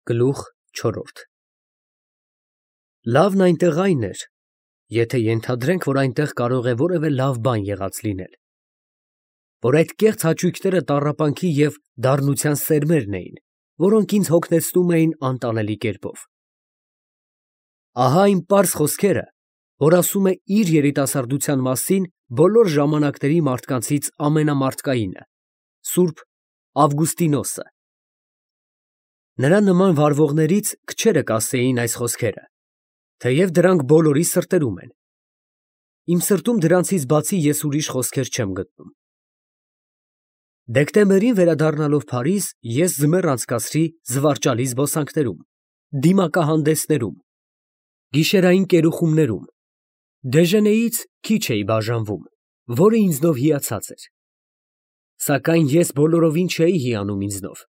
Գլուխ չորրորդ Լավն այնտեղ այն էր, եթե ենթադրենք, որ այնտեղ կարող է որևէ լավ բան եղած լինել, որ այդ կեղծ հաճույքները տառապանքի և դառնության սերմերն էին, որոնք ինձ հոգնեցնում էին անտանելի կերպով։ Ահա այն պարզ խոսքերը, որ ասում է իր երիտասարդության մասին բոլոր ժամանակների մարդկանցից ամենամարդկայինը, Սուրբ Ավգուստինոսը։ Նրա նման վարվողներից քչերը կասեին այս խոսքերը, թեև դրանք բոլորի սրտերում են։ Իմ սրտում դրանցից բացի ես ուրիշ խոսքեր չեմ գտնում։ Դեկտեմբերին վերադառնալով Փարիզ, ես ձմեռ անցկացրի զվարճալի զբոսանքներում, դիմակահանդեսներում, գիշերային կերուխումներում, դեժենեից քիչ էի բաժանվում, որը ինձնով հիացած էր։ Սակայն ես բոլորովին չէի հիանում ինձնով։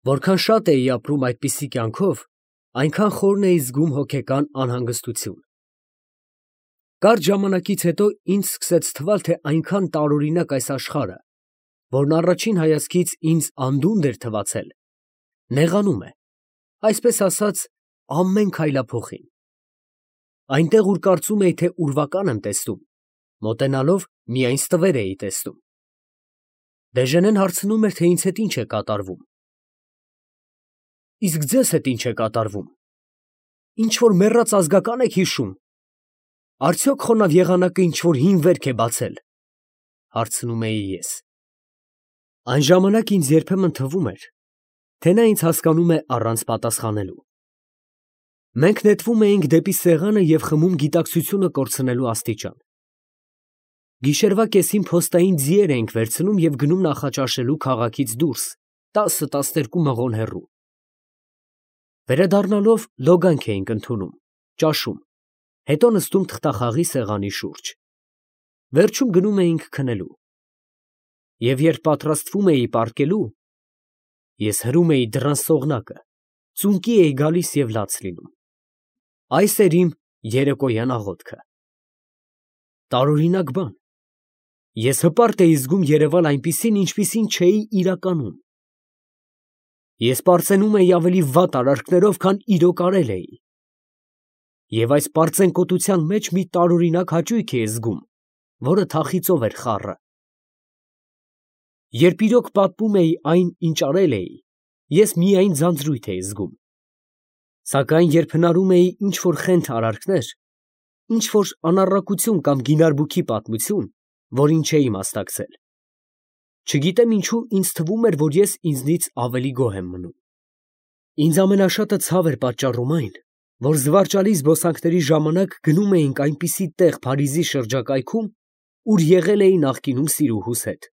Որքան շատ էի ապրում այդպիսի կյանքով, այնքան խորն էի զգում հոգեկան անհանգստություն։ Կարճ ժամանակից հետո ինձ սկսեց թվալ, թե այնքան տարօրինակ այս աշխարհը, որն առաջին հայացքից ինձ անդունդն էր թվացել, նեղանում է, այսպես ասած, ամեն քայլափոխին։ Այնտեղ, ուր կարծում էի, թե ուրվական եմ տեսնում, մոտենալով միայն ստվեր էի տեսնում։ Դեժենեն հարցնում էր, թե ինձ հետ ինչ է կատարվում։ Իսկ ձեզ հետ ինչ է կատարվում։ Ինչ-որ մեռած ազգական եք հիշում։ Արդյոք խոնավ եղանակը ինչ-որ հին վերք է բացել, հարցնում էի ես։ Այն ժամանակ ինձ երբեմն թվում էր, թե նա ինձ հասկանում է առանց պատասխանելու։ Մենք նետվում էինք դեպի սեղանը և խմում գիտակցությունը կորցնելու աստիճան։ Գիշերվա կեսին փոստային ձիեր էինք վերցնում և գնում նախաճաշելու քաղաքից դուրս, 10-12 մղոն հեռու։ Վերադառնալով լոգանք էինք ընդունում, ճաշում, հետո նստում թղթախաղի սեղանի շուրջ։ Վերջում գնում էինք քնելու։ Եվ երբ պատրաստվում էի պառկելու, ես հրում էի դռան սողնակը, ծունկի էի գալիս և լաց լինում։ Այս էր իմ երեկոյան աղոթքը։ Տարօրինակ բան։ Ես հպարտ էի զգում երևալ այնպիսին, ինչպիսին չէի իրականում։ Ես պարծենում էի ավելի վատ արարքներով, քան իրոք արել էի։ Եվ այս պարծենկոտության մեջ մի տարօրինակ հաճույք էի զգում, որը թախիծով էր խառը։ Երբ իրոք պատմում էի այն, ինչ արել էի, ես միայն ձանձրույթ էի զգում։ Սակայն երբ հնարում էի ինչ-որ խենթ արարքներ, ինչ-որ անառակություն կամ գինարբուքի պատմություն, որին չէի մասնակցել, չգիտեմ ինչու ինձ թվում էր, որ ես ինձնից ավելի գոհ եմ մնում։ Ինձ ամենաշատը ցավ էր պատճառում այն, որ զվարճալի զբոսանքների ժամանակ գնում էինք այնպիսի տեղ Փարիզի շրջակայքում, ուր եղել էի նախկինում սիրուհուս հետ։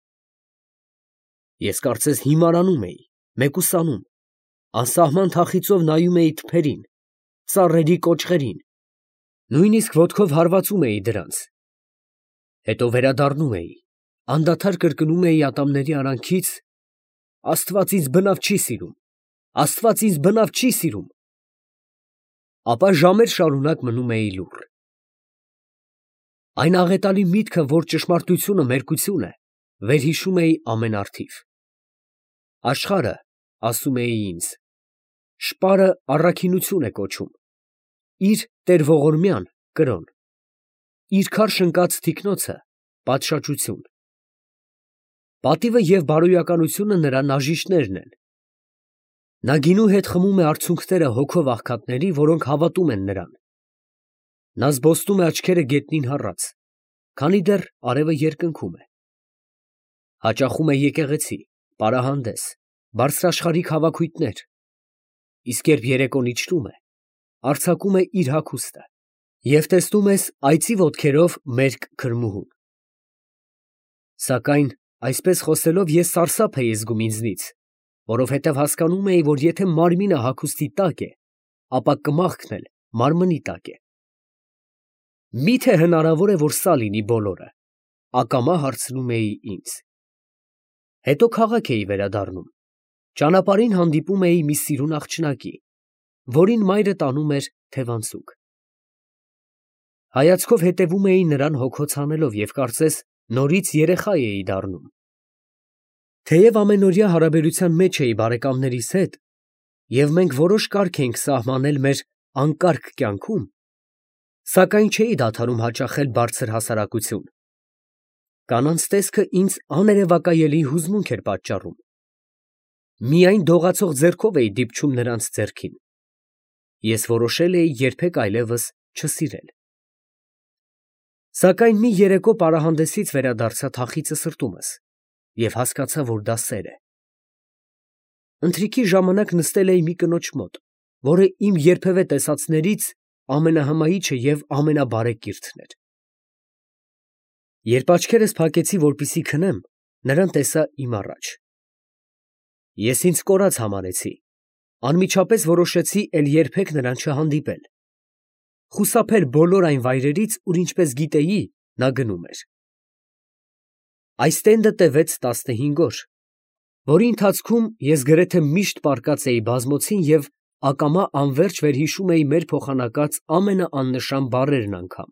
Ես կարծես հիմարանում էի, մեկուսանում, անսահման թախիծով նայում էի թփերին, ծառերի կոճղերին, նույնիսկ ոտքով հարվածում էի դրանց։ Հետո վերադառնում էի, անդադար կրկնում էի ատամների արանքից. «Աստված ինձ բնավ չի սիրում, Աստված ինձ բնավ չի սիրում»։ Ապա ժամեր շարունակ մնում էի լուռ։ Այն աղետալի միտքը, որ ճշմարտությունը մերկություն է, վերհիշում էի ամենարդիվ։ Աշխարհը, ասում էի ինձ, շպարը առաքինություն է կոչում, իր տեր ողորմյան իր քարշ ընկած թիկնոցը պատշաճություն։ Պատիվը և բարոյականությունը նրա նաժիշտներն են։ Նա գինու հետ խմում է արցունքները հոգով աղքատների, որոնք հավատում են նրան։ Նա զբոսնում է աչքերը գետնին հառած, քանի դեռ արևը երկնքում է։ Հաճախում է եկեղեցի, պարահանդես, բարձրաշխարհիկ հավաքույթներ, իսկ երբ երեկոն իջնում է, արձակում է իր հագուստը, և տեսնում ես այծի ոտքերով մերկ քրմուհուն։ Սակայն այսպես խոսելով ես սարսափ էի զգում ինձնից, որովհետև հասկանում էի, որ եթե մարմինը հագուստի տակ է, ապա կմախքն էլ մարմնի տակ է։ Մի՞թե հնարավոր է, որ սա լինի բոլորը, ակամա հարցնում էի ինձ։ Հետո քաղաք էի վերադառնում, ճանապարհին հանդիպում էի մի սիրուն աղջնակի, որին մայրը տանում էր թևանցուկ։ Հայացքով հետևում էի նրան հոգոց հանելով և կարծես նորից երեխա էի դառնում։ Թեև ամենօրյա հարաբերության մեջ էի բարեկամներիս հետ, և մենք որոշ կարգ ենք սահմանել մեր անկարգ կյանքում, սակայն չէի դադարում հաճախել բարձր հասարակություն. կանանց տեսքը ինձ աներևակայելի հուզմունք էր պատճառում. միայն դողացող ձեռքով էի դիպչում նրանց ձեռքին. ես որոշել էի երբեք այլևս չսիրել։ Սակայն մի երեկո պարահանդեսից վերադարձա թախիծը սրտումս և հասկացա, որ դա սեր է։ Ընթրիքի ժամանակ նստել էի մի կնոջ մոտ, որը իմ երբևէ տեսածներից ամենահմայիչը և ամենաբարեկիրթն էր։ Երբ աչքերս փակեցի, որպեսզի քնեմ, նրան տեսա իմ առաջ։ Ես ինձ կորած համարեցի, անմիջապես որոշեցի էլ երբեք նրան չհանդիպել, խուսափել բոլոր այն վայրերից, ուր ինչպես գիտեի, նա գնում էր։ Այս տենդը տևեց 15 օր, որի ընթացքում ես գրեթե միշտ պառկած էի բազմոցին և ակամա անվերջ վերհիշում էի մեր փոխանակած ամենաաննշան բառերն անգամ։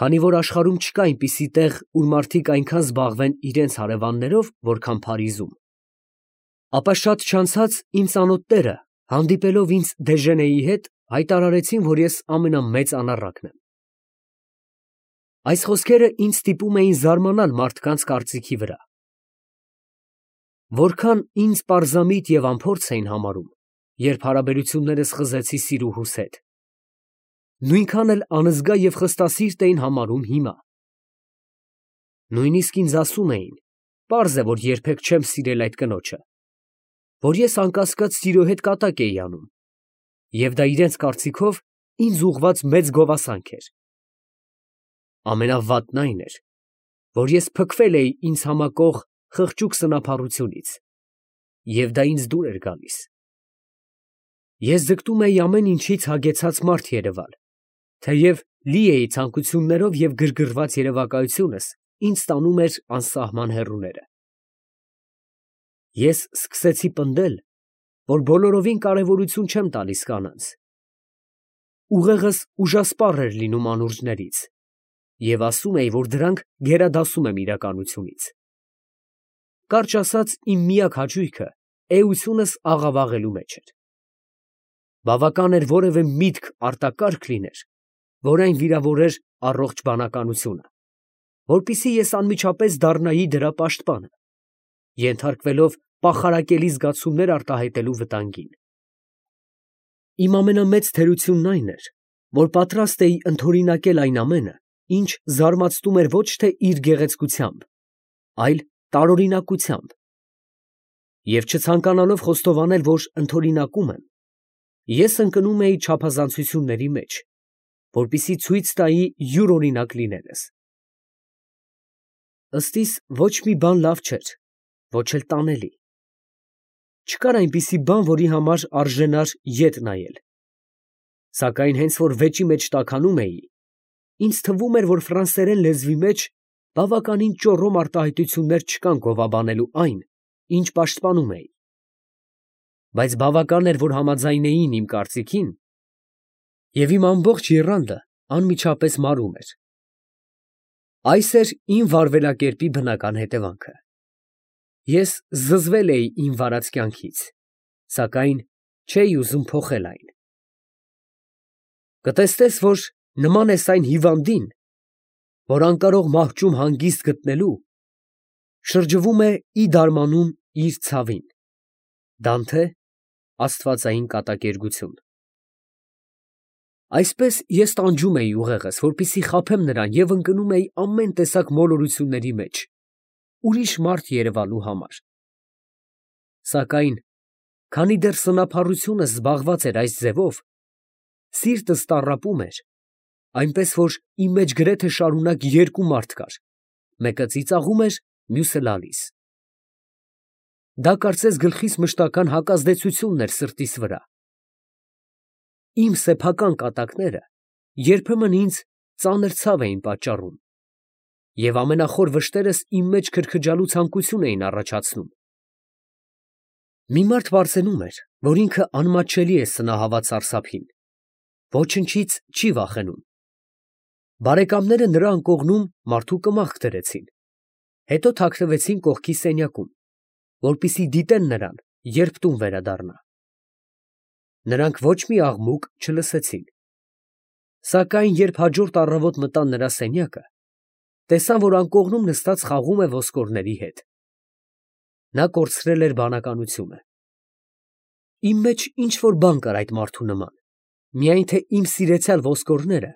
Քանի որ աշխարհում չկա այնպիսի տեղ, ուր մարդիկ այնքան զբաղվեն իրենց հարևաններով, որքան Փարիզում, ապա շատ չանցած իմ ծանոթները, հանդիպելով ինձ Դեժենեի հետ, հայտարարեցին, որ ես ամենամեծ անառակն եմ։ Այս խոսքերը ինձ ստիպում էին զարմանալ մարդկանց կարծիքի վրա։ Որքան ինձ պարզամիտ և անփորձ էին համարում, երբ հարաբերություններս խզեցի սիրուհուս հետ, նույնքան էլ անզգա և խստասիրտ էին համարում հիմա։ Նույնիսկ ինձ ասում էին, պարզ է, որ երբեք չեմ սիրել այդ կնոջը, որ ես անկասկած սիրո հետ կատակ էի անում, և դա իրենց կարծիքով ինձ ուղղված մեծ գովասանք էր։ Ամենավատն այն էր, որ ես փքվել էի ինձ համակող խղճուկ սնափառությունից, և դա ինձ դուր էր գալիս։ Ես ձգտում էի ամեն ինչից հագեցած մարդ երևալ, թեև լի էի ցանկություններով և գրգռված երևակայությունս ինձ տանում էր անսահման հեռուները։ Ես սկսեցի պնդել, որ բոլորովին կարևորություն չեմ տալիս կանանց։ Ուղեղս ուժասպառ էր լինում անուրջներից և ասում էի, որ դրանք գերադասում եմ իրականությունից։ Կարճ ասած, իմ միակ հաճույքը էությունս աղավաղելու մեջ էր։ Բավական էր որևէ միտք արտակարգ լիներ, որ այն վիրավորեր առողջ բանականությունը, որպեսզի ես անմիջապես դառնայի դրա պաշտպանը, ենթարկվելով պախարակելի զգացումներ արտահայտելու վտանգին։ Իմ ամենամեծ թերությունն այն էր, որ պատրաստ էի ընդօրինակել այն ամենը, ինչ զարմացնում էր ոչ թե իր գեղեցկությամբ, այլ տարօրինակությամբ, և չցանկանալով խոստովանել, որ ընդօրինակում եմ, ես ընկնում էի չափազանցությունների մեջ, որպեսզի ցույց տայի յուրօրինակ լինելս։ Ըստ իս, ոչ մի բան լավ չէր, ոչ էլ տանելի։ Չկար այնպիսի բան, որի համար արժենար ետ նայել։ Սակայն հենց որ վեճի մեջ տաքանում էի, ինձ թվում էր, որ ֆրանսերեն լեզվի մեջ բավականին ճոռոմ արտահայտություններ չկան գովաբանելու այն, ինչ պաշտպանում էի։ Բայց բավական էր, որ համաձայնեին իմ կարծիքին, և իմ ամբողջ եռանդը անմիջապես մարում էր։ Այս էր իմ վարվելակերպի բնական հետևանքը։ Ես զզվել էի իմ վարած կյանքից, սակայն չէի ուզում փոխել այն։ Կտեսնես, որ նման ես այն հիվանդին, որ անկարող մահճում հանգիստ գտնելու, շրջվում է ի դարմանում իր ցավին։ Դանթե, Աստվածային կատակերգություն։ Այսպես ես տանջում էի ուղեղս, որպեսզի խաբեմ նրան և ընկնում էի ամեն տեսակ մոլորությունների մեջ, ուրիշ մարդ երևալու համար։ Սակայն, քանի դեռ սնափառությունս զբաղված էր այս ձևով, սիրտս տառապում էր, այնպես որ իմ մեջ գրեթե շարունակ երկու մարդ կար, մեկը ծիծաղում էր, մյուսը լալիս։ Դա կարծես գլխիս մշտական հակազդեցությունն էր սրտիս վրա։ Իմ սեփական կատակները երբեմն ինձ ծանր ցավ էին պատճառում, և ամենախոր վշտերս իմ մեջ քրքջալու ցանկություն էին առաջացնում։ Մի մարդ պարծենում էր, որ ինքը անմատչելի է սնահավատ սարսափին, ոչնչից չի վախենում։ Բարեկամները նրա անկողնում մարդու կմախք դրեցին, հետո թաքնվեցին կողքի սենյակում, որպեսզի դիտեն նրան երբ տուն վերադառնա։ Նրանք ոչ մի աղմուկ չլսեցին։ Սակայն երբ հաջորդ առավոտ մտան նրա սենյակը, տեսան, որ անկողնում նստած խաղում է ոսկորների հետ։ Նա կորցրել էր բանականությունը։ Իմ մեջ ինչ որ բան կար այդ մարդու նման, միայն թե իմ սիրեցյալ ոսկորները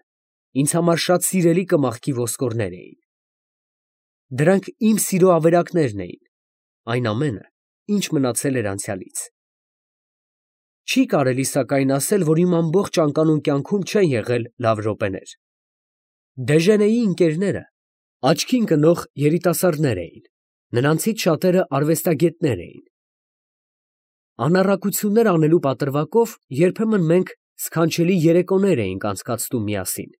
ինձ համար շատ սիրելի կմախքի ոսկորներ էին։ Դրանք իմ սիրո ավերակներն էին, այն ամենը, ինչ մնացել էր անցյալից։ Չի կարելի սակայն ասել, որ իմ ամբողջ անկանոն կյանքում չեն եղել լավ րոպեներ։ Դեժենեի ընկերները աչքին կնող երիտասարդներ էին, նրանցից շատերը արվեստագետներ էին։ Անառակություններ անելու պատրվակով երբեմն մենք սքանչելի երեկոներ էինք անցկացնում միասին։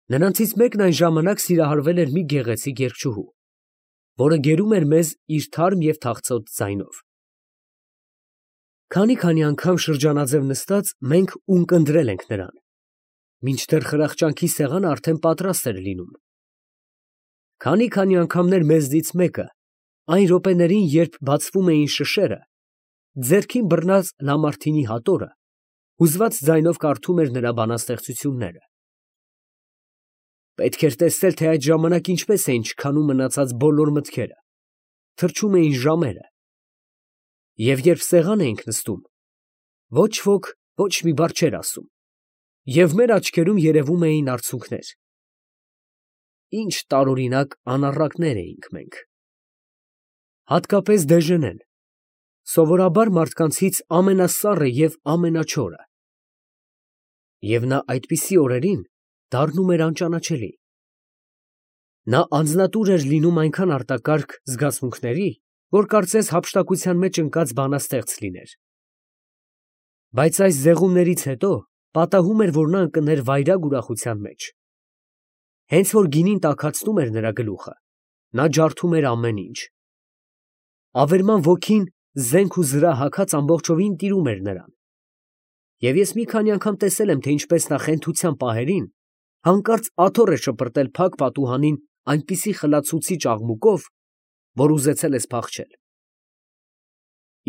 Նրանցից մեկն այն ժամանակ սիրահարվել էր մի գեղեցիկ երգչուհու, որը գերում էր մեզ իր թարմ և թախծոտ ձայնով։ Քանի անգամ շրջանաձև նստած մենք ունկնդրել ենք նրան, մինչդեռ խրախճանքի սեղանը արդեն պատրաստ էր լինում։ Քանի անգամներ մեզնից մեկը, այն րոպեներին, երբ բացվում էին շշերը, ձեռքին բռնած Լամարթինի հատորը, հուզված ձայնով կարդում էր նրա բանաստեղծությունները։ Պետք էր տեսնել, թե այդ ժամանակ ինչպես էին չքանում մնացած բոլոր մտքերը, թրջում էին ժամերը։ Եվ երբ սեղան էինք նստում, ոչ ոք ոչ մի բառ չէր ասում, և մեր աչքերում երևում էին արցունքներ։ Ինչ տարօրինակ անառակներ էինք մենք։ Հատկապես Դեժենեն, սովորաբար մարդկանցից ամենասառը և ամենաչորը։ Եվ նա այդպիսի օրերին դառնում էր անճանաչելի։ Նա անձնատուր էր լինում այնքան արտակարգ զգացմունքների, որ կարծես հափշտակության մեջ ընկած բանաստեղծ լիներ։ Բայց այս զեղումներից հետո պատահում էր, որ նա ընկներ վայրագ ուրախության մեջ։ Հենց որ գինին տաքացնում էր նրա գլուխը, նա ջարդում էր ամեն ինչ։ Ավերման ոգին զենք ու զրահ հագած ամբողջովին տիրում էր նրան։ Եվ ես մի քանի անգամ տեսել եմ, թե ինչպես նա խենթության պահերին հանկարծ աթոռ է շպրտել փակ պատուհանին այնպիսի խլացուցիչ աղմուկով, որ ուզեցել ես փախչել։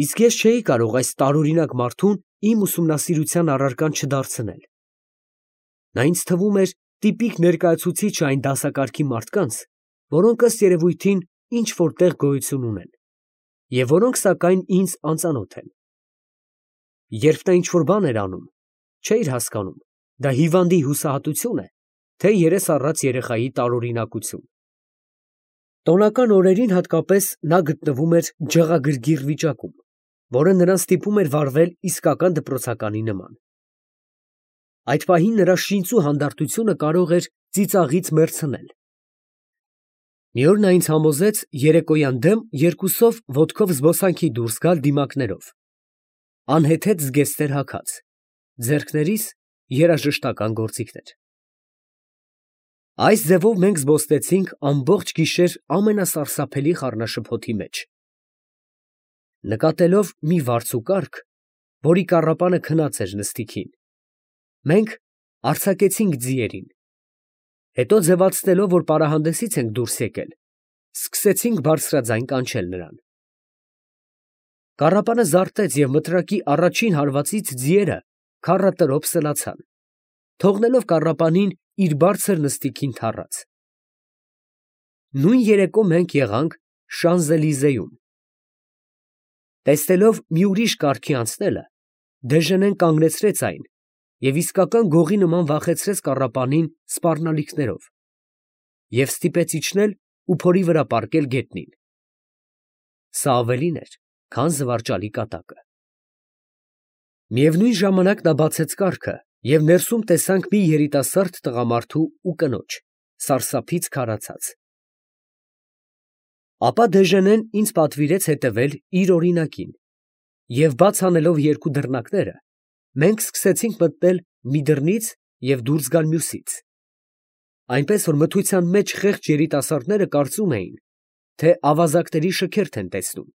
Իսկ ես չէի կարող այս տարօրինակ մարդուն իմ ուսումնասիրության առարկան չդարձնել։ Նա ինձ թվում էր տիպիկ ներկայացուցիչը այն դասակարգի մարդկանց, որոնք ըստ երևույթին ինչ որ տեղ գոյություն ունեն, և որոնք սակայն ինձ անծանոթ են։ Երբ նա ինչ որ բան էր անում, չէիր հասկանում, դա հիվանդի հուսահատություն է, թե երես առած երեխայի տարօրինակություն։ Տոնական օրերին հատկապես նա գտնվում էր ջղագրգիռ վիճակում, որը նրան ստիպում էր վարվել իսկական դպրոցականի նման։ Այդ պահին նրա շինծու հանդարտությունը կարող էր ծիծաղից մեռցնել։ Մի օր նա ինձ համոզեց երեկոյան դեմ երկուսով ոտքով զբոսանքի դուրս գալ դիմակներով, անհեթեթ զգեստներ հագած, ձեռքներիս երաժշտական գործիքներ։ Այս ձևով մենք զբոսնեցինք ամբողջ գիշեր ամենասարսափելի խառնաշփոթի մեջ։ Նկատելով մի վարձուկարգ, որի կառապանը քնած էր նստիքին, մենք արձակեցինք ձիերին, հետո ձևացնելով, որ պարահանդեսից ենք դուրս եկել, սկսեցինք բարձրաձայն կանչել նրան։ Կառապանը զարթեց և մտրակի առաջին հարվածից ձիերը քառատրոփ սլացան, թողնելով կառապանին իր բարձր նստիքին թառած։ Նույն երեկո մենք եղանք Շանզելիզեում։ Տեսնելով մի ուրիշ կարգի անցնելը, Դեժենեն կանգնեցրեց այն և իսկական գողի նման վախեցրեց կառապանին սպառնալիքներով և ստիպեց իջնել ու փորի վրա պառկել գետնին։ Սա ավելին էր, քան զվարճալի կատակը։ Միևնույն ժամանակ նա բացեց կառքը և ներսում տեսանք մի երիտասարդ տղամարդու ու կնոջ, սարսափից քարացած։ Ապա Դեժենեն ինձ պատվիրեց հետևել իր օրինակին, և բաց անելով երկու դռնակները, մենք սկսեցինք մտնել մի դռնից և դուրս գալ մյուսից, այնպես որ մթության մեջ խեղճ երիտասարդները կարծում էին, թե ավազակների շքերթ են տեսնում։